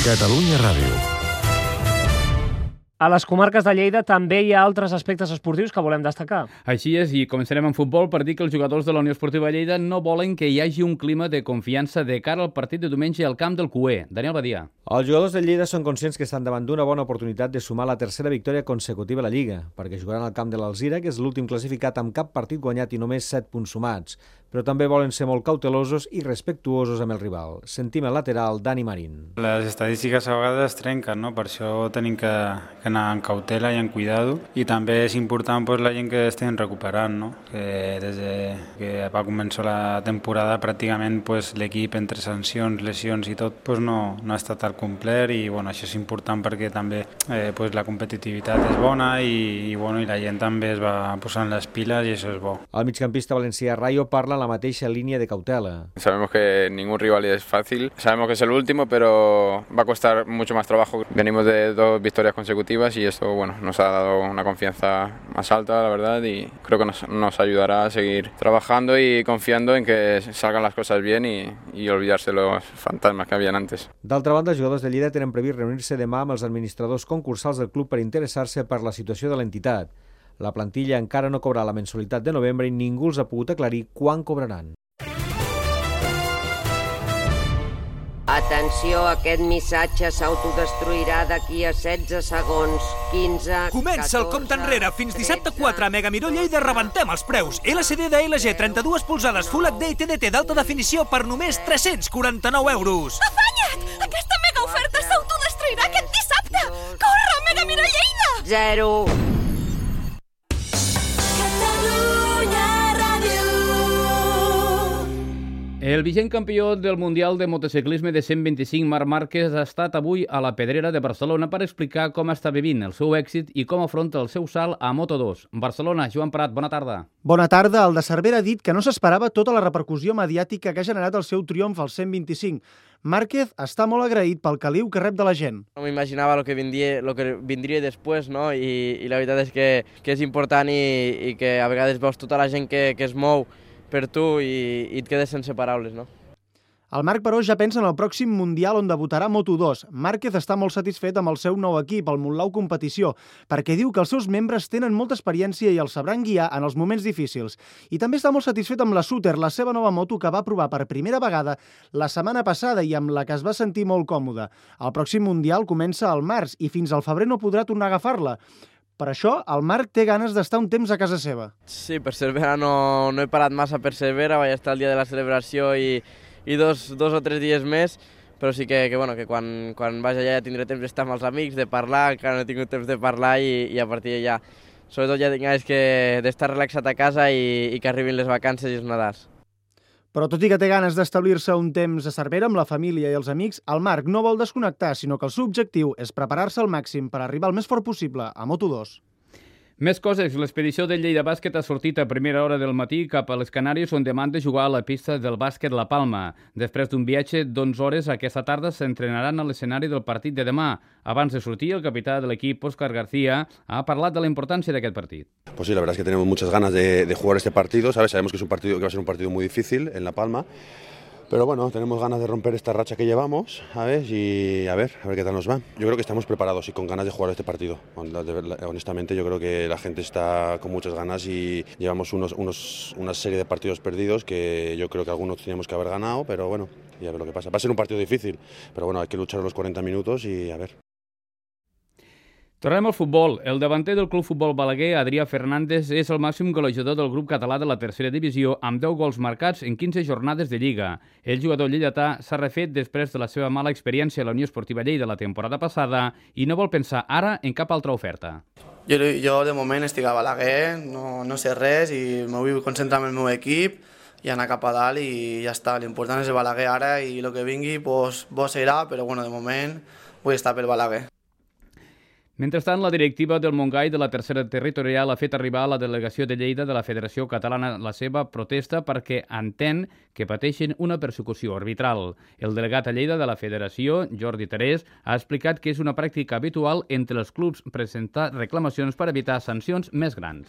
Catalunya Ràdio. A les comarques de Lleida també hi ha altres aspectes esportius que volem destacar. Així és, i començarem amb futbol per dir que els jugadors de la Unió Esportiva Lleida no volen que hi hagi un clima de confiança de cara al partit de diumenge al camp del Cué. Daniel Badia. Els jugadors de Lleida són conscients que estan davant d'una bona oportunitat de sumar la tercera victòria consecutiva a la Lliga, perquè jugaran al camp de l'Alzira, que és l'últim classificat amb cap partit guanyat i només 7 punts sumats. Però també volen ser molt cautelosos i respectuosos amb el rival. Sentim el lateral Dani Marín. Les estadístiques a vegades es trenquen, no? Per això tenim que anar amb cautela i amb cuidado. I també és important la gent que estem recuperant, no? Que des que va començar la temporada pràcticament l'equip entre sancions, lesions i tot no ha estat al complet i això és important perquè també la competitivitat és bona i la gent també es va posant les piles i això és bo. El migcampista valencià Rayo parla en la mateixa línia de cautela. Sabemos que ningún rival es fácil, sabemos que es el último, pero va a costar mucho más trabajo. Venimos de 2 victorias consecutivas y esto nos ha dado una confianza más alta, la verdad, y creo que nos ayudará a seguir trabajando y confiando en que salgan las cosas bien y olvidarse los fantasmas que habían antes. D'altra banda, els jugadors de Lleida tenen previst reunir-se demà amb els administradors concursals del club per interessar-se per la situació de l'entitat. La plantilla encara no cobrarà la mensualitat de novembre i ningú els ha pogut aclarir quan cobraran. Atenció, aquest missatge s'autodestruirà d'aquí a 16 segons, 15... Comença el compte enrere. Fins dissabte 4 a Mega Miró Lleida rebentem els preus. LCD de LG 32 polzades Full HD i TDT d'alta definició per només 349 euros. Afanya't! Aquesta mega oferta s'autodestruirà aquest dissabte! Corre, Mega Miró Lleida! 0. El vigent campió del Mundial de Motociclisme de 125, Marc Márquez, ha estat avui a la Pedrera de Barcelona per explicar com està vivint el seu èxit i com afronta el seu salt a Moto2. Barcelona, Joan Prat, bona tarda. Bona tarda. El de Cervera ha dit que no s'esperava tota la repercussió mediàtica que ha generat el seu triomf al 125. Márquez està molt agraït pel caliu que rep de la gent. No m'imaginava lo que vindria després, no? I la veritat és que és important i que a vegades veus tota la gent que es mou per tu i et quedes sense paraules, no? El Marc, però, ja pensa en el pròxim Mundial on debutarà Moto2. Márquez està molt satisfet amb el seu nou equip, el Montlau Competició, perquè diu que els seus membres tenen molta experiència i els sabran guiar en els moments difícils. I també està molt satisfet amb la Suter, la seva nova moto que va provar per primera vegada la setmana passada i amb la que es va sentir molt còmode. El pròxim Mundial comença al març i fins al febrer no podrà tornar a agafar-la. Per això, el Marc té ganes d'estar un temps a casa seva. Sí, per Cervera no he parat massa per Cervera, vaig estar el dia de la celebració i dos o 3 dies més, però sí que quan vaig allà ja tindré temps d'estar amb els amics, de parlar, encara no he tingut temps de parlar i a partir d'allà, sobretot ja tinc ganes d'estar relaxat a casa i que arribin les vacances i els Nadals. Però tot i que té ganes d'establir-se un temps a Cervera amb la família i els amics, el Marc no vol desconnectar, sinó que el seu objectiu és preparar-se al màxim per arribar el més fort possible a Moto2. Més coses. L'expedició del Lleida Bàsquet ha sortit a primera hora del matí cap a les Canàries, on demà han de jugar a la pista del bàsquet La Palma. Després d'un viatge d'11 hores, aquesta tarda s'entrenaran a l'escenari del partit de demà. Abans de sortir, el capità de l'equip, Óscar García, ha parlat de la importància d'aquest partit. Pues sí, la verdad es que tenemos muchas ganas de jugar este partido, ¿sabes? Sabemos que va a ser un partido muy difícil en La Palma. Pero bueno, tenemos ganas de romper esta racha que llevamos, ¿sabes? Y a ver qué tal nos va. Yo creo que estamos preparados y con ganas de jugar este partido. Honestamente, yo creo que la gente está con muchas ganas y llevamos una serie de partidos perdidos que yo creo que algunos teníamos que haber ganado, pero bueno, y a ver lo que pasa. Va a ser un partido difícil, pero bueno, hay que luchar los 40 minutos y a ver. Tornem al futbol. El davanter del Club Futbol Balaguer, Adrià Fernández, és el màxim golejador del grup català de la tercera divisió amb 10 gols marcats en 15 jornades de Lliga. El jugador lleidatà s'ha refet després de la seva mala experiència a la Unió Esportiva Lleida la temporada passada i no vol pensar ara en cap altra oferta. Jo de moment estic a Balaguer, no sé res i me vull concentrar en el meu equip i anar cap a dalt i ja està. L'important és el Balaguer ara i el que vingui bo serà, però de moment vull estar pel Balaguer. Mentrestant, la directiva del Montgai de la tercera territorial ha fet arribar a la delegació de Lleida de la Federació Catalana la seva protesta perquè entén que pateixen una persecució arbitral. El delegat a Lleida de la Federació, Jordi Terés, ha explicat que és una pràctica habitual entre els clubs presentar reclamacions per evitar sancions més grans.